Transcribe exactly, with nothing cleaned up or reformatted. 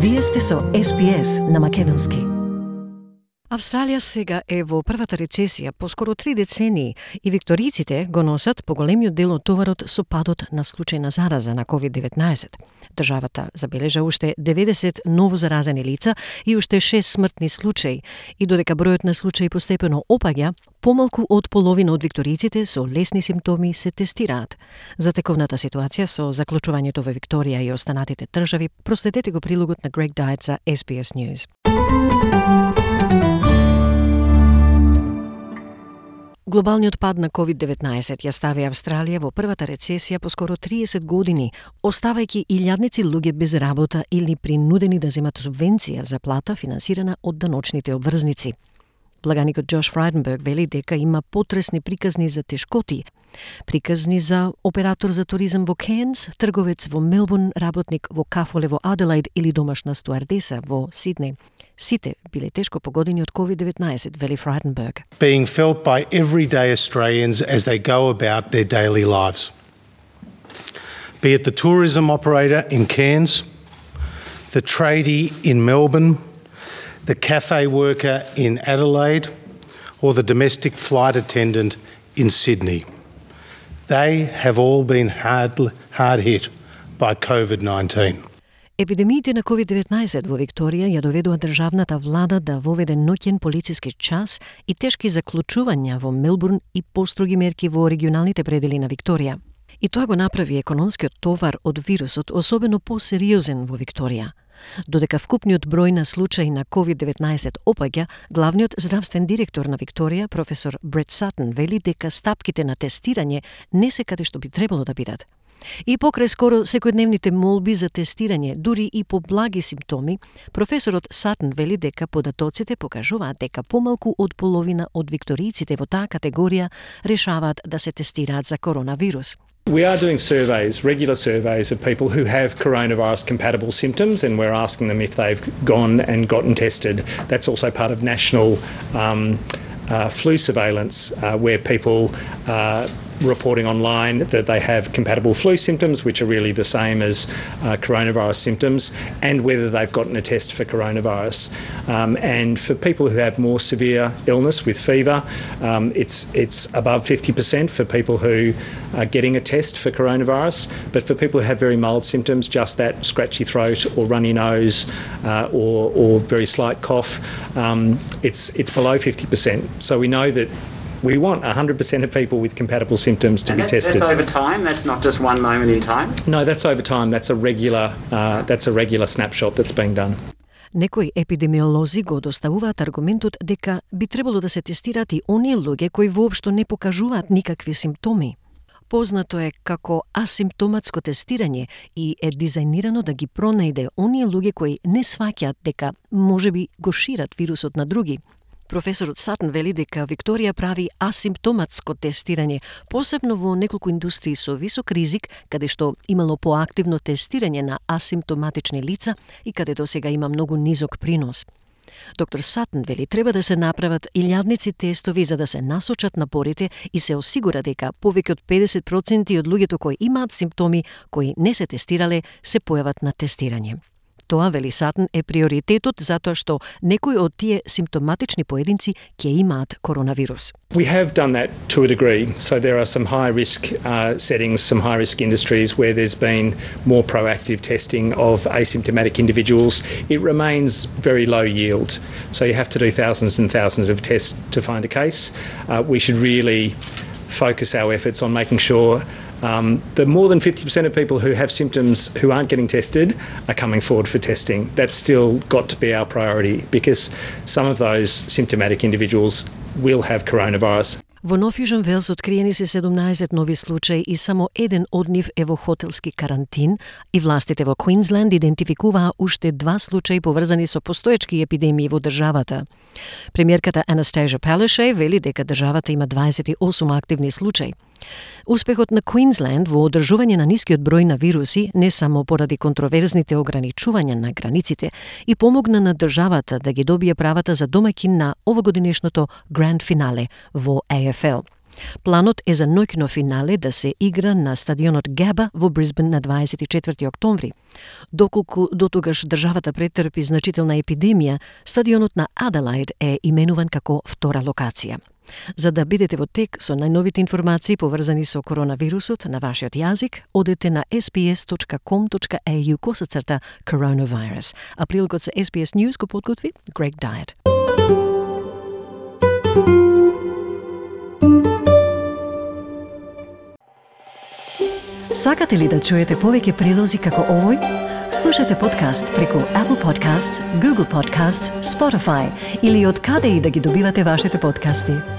Вие сте со Ес Би Ес на македонски. Австралија сега е во првата рецесија по скоро три децении и викториците го носат поголемиот дел од товарот со падот на случај на зараза на ковид деветнаесет. Државата забележа уште деветдесет ново заразени лица и уште шест смртни случаи, и додека бројот на случаи постепено опаѓа, помалку од половина од викториците со лесни симптоми се тестираат. За тековната ситуација со заклучувањето во Викторија и останатите држави, проследете го прилогот на Грег Дайт за Ес Би Ес News. Глобалниот пад на ковид деветнаесет ја стави Австралија во првата рецесија по скоро триесет години, оставајќи илјадници луѓе без работа или принудени да земат субвенција за плата финансирана од даночните обврзници. Благаникот Джош Фрайденберг вели дека има потресни приказни за тешкоти. Приказни за оператор за туризам во Кејнс, трговец во Мелбурн, работник во кафоле во Аделаид или домашна стуардеса во Сиднеј. Сите биле тешко погодени од ковид деветнаесет, вели Фрайденберг. Being felt by everyday Australians as they go about their daily lives. Be it the tourism operator in Cairns, the tradie in Melbourne, the cafe worker in Adelaide, or the domestic flight attendant in Sydney. They have all been hard, hard hit by covid nineteen. Епидемиите на ковид деветнаесет во Викторија ја доведува државната влада да воведе ноќен полициски час и тешки заклучувања во Мелбурн и построги мерки во регионалните предели на Викторија. И тоа го направи економскиот товар од вирусот особено посериозен во Викторија. Додека вкупниот број на случаи на ковид деветнаесет опаѓа, главниот здравствен директор на Викторија, професор Брет Сатен, вели дека стапките на тестирање не се каде што би требало да бидат. И покрај скоро секојдневните молби за тестирање, дури и по благи симптоми, професорот Сатен вели дека податоците покажуваат дека помалку од половина од викторијците во таа категорија решаваат да се тестираат за коронавирус. We are doing surveys, regular surveys of people who have coronavirus compatible symptoms, and we're asking them if they've gone and gotten tested. That's also part of national um, uh, flu surveillance, uh, where people are reporting online that they have compatible flu symptoms, which are really the same as uh, coronavirus symptoms, and whether they've gotten a test for coronavirus. Um, and for people who have more severe illness with fever, um, it's it's above fifty percent for people who are getting a test for coronavirus. But for people who have very mild symptoms, just that scratchy throat or runny nose uh, or, or very slight cough, um, it's it's below fifty percent. So we know that we want one hundred percent of people with compatible symptoms to and be that, tested. That's over time? That's not just one moment in time? No, that's over time. That's a regular, uh, that's a regular snapshot that's being done. Некои епидемиолози го доставуваат аргументот дека би требало да се тестираат и оние луѓе кои воопшто не покажуваат никакви симптоми. Познато е како асимптоматско тестирање и е дизајнирано да ги пронајде оние луѓе кои не сваќаат дека можеби го шират вирусот на други. Професорот Сатен вели дека Викторија прави асимптоматско тестирање, посебно во неколку индустрии со висок ризик, каде што имало поактивно тестирање на асимптоматични лица и каде до сега има многу низок принос. Доктор Сатен вели треба да се направат илјадници тестови за да се насочат напорите и се осигура дека повеќе од педесет проценти од луѓето кои имаат симптоми, кои не се тестирале, се појават на тестирање. Тоа, вели Сатен, е приоритетот затоа што некои од тие симптоматични поединци ќе имаат коронавирус. We have done that to a degree. So there are some high risk uh, settings, some high risk industries where there's been more proactive testing of asymptomatic individuals. It remains very low yield. So you have to do thousands and thousands of tests to find a case. Uh, we should really focus our efforts on making sure Um, the more than fifty percent of people who have symptoms who aren't getting tested are coming forward for testing. That's still got to be our priority because some of those symptomatic individuals will have coronavirus. Во Нов Јужен Велс откриени се седумнаесет нови случаи и само еден од нив е во хотелски карантин, и властите во Квинсленд идентификуваа уште два случаи поврзани со постоечки епидемии во државата. Премиерката Анастасија Палашеј вели дека државата има дваесет и осум активни случаи. Успехот на Квинсленд во одржување на нискиот број на вируси не само поради контроверзните ограничувања на границите и помогна на државата да ги добие правата за домаќин на овогодинешното Гранд финале во А Ф Л. Планот е за ноќно финале да се игра на стадионот Габа во Брисбен на дваесет и четврти октомври. Доколку дотогаш државата претрпи значителна епидемија, стадионот на Аделаид е именуван како втора локација. За да бидете во тек со најновите информации поврзани со коронавирусот на вашиот јазик, одете на ес би ес точка ком точка ей ю косацрта coronavirus. А прилогот за Ес Би Ес News го подготви Greg Diet. Сакате ли да чуете повеќе прилози како овој? Слушате подкаст преку Apple Podcasts, Google Podcasts, Spotify или од каде и да ги добивате вашите подкасти.